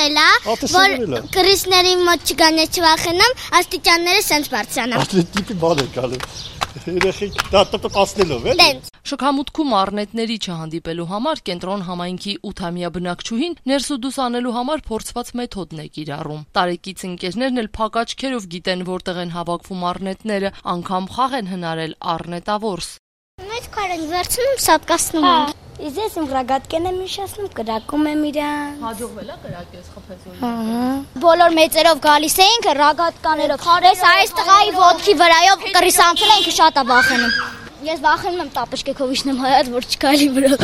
ասել է, որ կրիսների մոտ չգան չվախենամ, աստիճանները սենց բարձրանան։ Տիպի բան է գալու։ Երեխեք տատապասնելով է։ Շքամուտքում առնետների չհանդիպելու համար կենտրոն համայնքի 8-ամյա բնակչուհին ներսուդուս անելու համար փորձված մեթոդն է կիրառում։ Տարեկից ընկերներն էլ փակ աչքերով գիտեն որտեղ են հավաքվում առնետները, անգամ խաղ են հնարել առնետավորս։ Մեծ քար են վերցնում, սատկացնում են։ Իսկ ես իմ ռագատկեն եմ իշացնում, կրակում եմ իրան։ Հաջողվել է կրակես խփեցու։ Բոլոր մեծերով գալիս էինք ռագատկաներով։ Այս տղայի ոտքի վրայով կռիս անցել ենք շատ է վախենում։ Ես վախենում եմ տապեշկեքով իջնեմ հայաց, որ չկայլի վրա։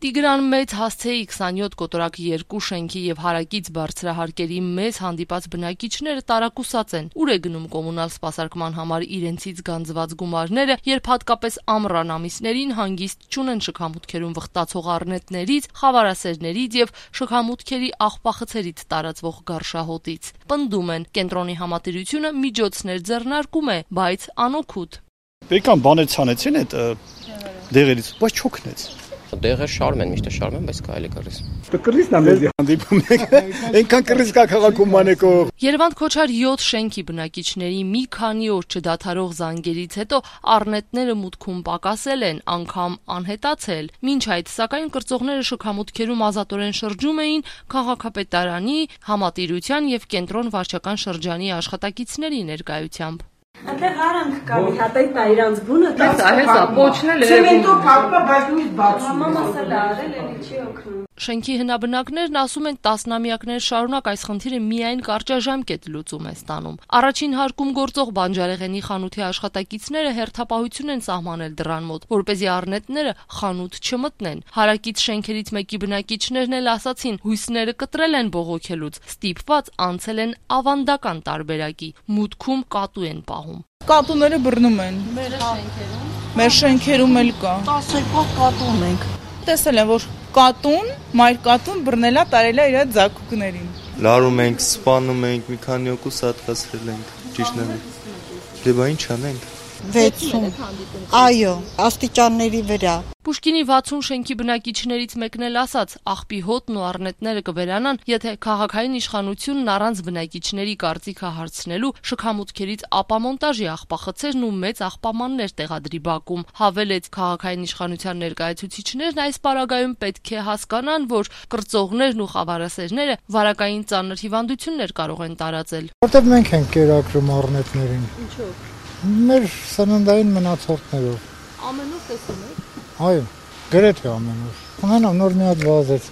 Տիգրան Մեծ հասցեի 27 կոտորակ 2 շենքի եւ հարակից բարձրահարկերի մեծ հանդիպած բնակիչները տարակուսած են։ Ուր է գնում կոմունալ սպասարկման համար իրենցից գանձված գումարները, երբ հատկապես ամռան ամիսներին հանգիստ չունեն շքամուտքերում վխտացող առնետներից, խավարասերներից եւ շքամուտքերի աղբախցերից տարածվող գարշահոտից։ Պնդում են, կենտրոնի համատիրությունը միջոցներ ձեռնարկում է, բայց անօգուտ։ Բեկան բաներ ցանեցին այդ դեղերից, բայց չօգնեց։ Դեղը շարում են, միշտ շարում են, բայց կարելի կռիս։ Կռիսն է մեզի հանդիպում եք։ Այնքան կռիս կա քաղաքում մանեկով։ Երևան Քոչար 7 շենքի բնակիչների մի քանի օր չդադարող զանգերից հետո առնետները մուտքում պակասել են, անգամ անհետացել։ Մինչ այդ, սակայն կրծողները շքամուտքերում ազատորեն շրջում էին քաղաքապետարանի, համատիրության եւ կենտրոն վարչական շրջանի աշխատակիցների ներկայությամբ։ Այնտեղ արանք կա, մի հատ այդ նա իրանց բունը, հեսա պոչնել է։ Ցեմենտով փակվա, բայց նույնիսկ բացում։ Մամասը դա արել էլի չի օգնում։ Շենքի հնաբնակներն ասում են տասնամյակներ շարունակ այս խնդիրը միայն կարճաժամկետ լուծում է ստանում։ Առաջին հարկում գործող բանջարեղենի խանութի աշխատակիցները հերթապահություն են սահմանել դռան մոտ, որպեսզի առնետները խանութ չմտնեն։ Հարակից շենքերից մեկի բնակիչներն էլ ասացին, հույսները կտրել են բողոքելուց, ստիպված անցել են ավանդական տարբերակի, մուտքում կատու են պահում։ Կատուները բռնում են։ Մեր շենքերում էլ կա։ 10 կատու ունենք։ Տեսել եմ, որ կատուն, մայր կատուն բռնելա տարել է իր ձագուկներին։ Լարում ենք, սպանում ենք, մի քանի օկուս հատկացրել ենք, ճիշտն է։ Դե բա ինչ անենք։ 60։ Այո, աստիճանների վրա։ Պուշկինի 60 շենքի բնակիչներից մեկն էլ ասաց, աղբի հոտն ու առնետները կվերանան, եթե քաղաքային իշխանությունն առանց բնակիչների կարծիքը հարցնելու շքամուտքերից ապամոնտաժի աղբախցերն ու մեծ աղբամաններ տեղադրի բակում։ Հավելեց, քաղաքային իշխանության ներկայացուցիչներն այս պարագայում պետք է հասկանան, որ կրծողներն ու խավարասերները վարակային ծանր հիվանդություններ կարող են տարածել։ Որտեղ մենք ենք կերակրում առնետներին։ Ինչով։ Մեր սննդային մնացորդներով։ Ամեն օր տեսնում եք։ Այո, գրեթե ամեն օր։ Ունենամ նոր մի հատ վազեց։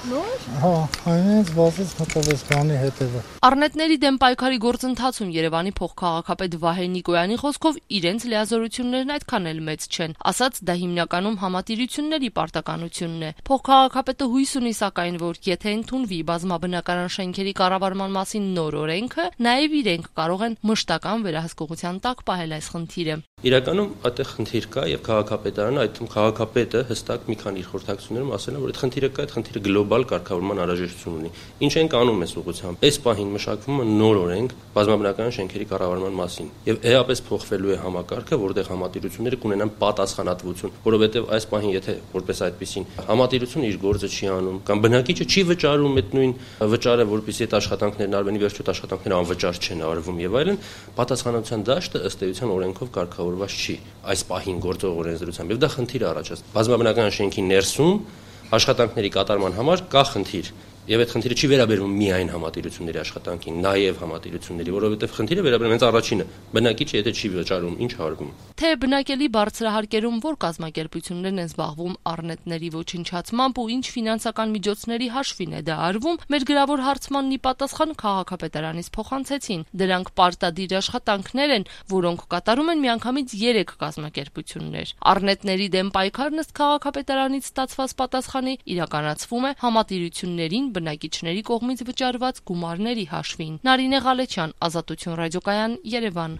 Նոր։ Հա, այնպես վազեց մտածես բանի հետևը։ Առնետների դեմ պայքարի գործընթացում Երևանի փոխքաղաքապետ Վահե Նիկոյանի խոսքով իրենց լիազորություններն այդքան էլ մեծ չեն, ասաց դա հիմնականում համատիրությունների պարտականությունն է։ Փոխքաղաքապետը հույս ունի սակայն, որ եթե ընդունվի բազմաբնակարան շենքերի կառավարման մասին նոր օրենքը, նաև իրենք կարող են մշտական վերահսկողության տակ պահել այս խնդիրը։ Իրականում այդտեղ խնդիր կա եւ քաղաքապետարանը, այդ թվում քաղաքապետը հստակ մի քանի իր խորհրդակցություններում ասել է, որ այդ խնդիրը կա, այդ խնդիրը գլոբալ կարգավորման անհրաժեշտություն ունի։ Ինչ ենք անում այս ուղղությամբ։ Այս պահին մշակվում է նոր օրենք բազմաբնակարան շենքերի կառավարման մասին եւ էապես փոխվելու է համակարգը, որտեղ համատիրությունները կունենան պատասխանատվություն, որովհետեւ այս պահին եթե որպես այդպեսին համատիրությունը իր գործը չի անում կամ բնակիչը չի վճարում այդ նույն վճարը, որպեսզի այդ աշխատանքներն արվեն, վերջո այդ աշխատանքները անվճար չեն արվում եւ այլն, պատասխանատվության դաշտը ըստ էության օրենքով կարգավորված չի այս պահին գործող օրենսդրությամբ եւ դա խնդիր է առաջացնում։ Բազմաբնակարան շենքի ներսում աշխատանքների կատարման համար կա խնդիր եւ այդ խնդիրը չի վերաբերվում միայն համատիրությունների աշխատանքին, նաեւ համատիրությունների, որովհետեւ խնդիրը վերաբերում է առաջինը, բնակիչը եթե չի վճարում, ինչ արվում։ Թե բնակելի բարձրահարկերում որ կազմակերպություններն են զբաղվում առնետների ոչնչացմամբ ու ինչ ֆինանսական միջոցների հաշվին է դա արվում, մեր գրավոր հարցմանն ի պատասխան քաղաքապետարանից փոխանցեցին։ Դրանք պարտադիր աշխատանքներ են, որոնք կատարում են միանգամից 3 կազմակերպություններ։ Առնետների դեմ պայքարն ըստ քաղաքապետարանից ստացված պատասխանի իրականացվում է համատիրություններին բնակիչների կողմից վճարված գումարների հաշվին։ Նարինե Ղալեչյան, Ազատություն ռադիոկայան, Երևան։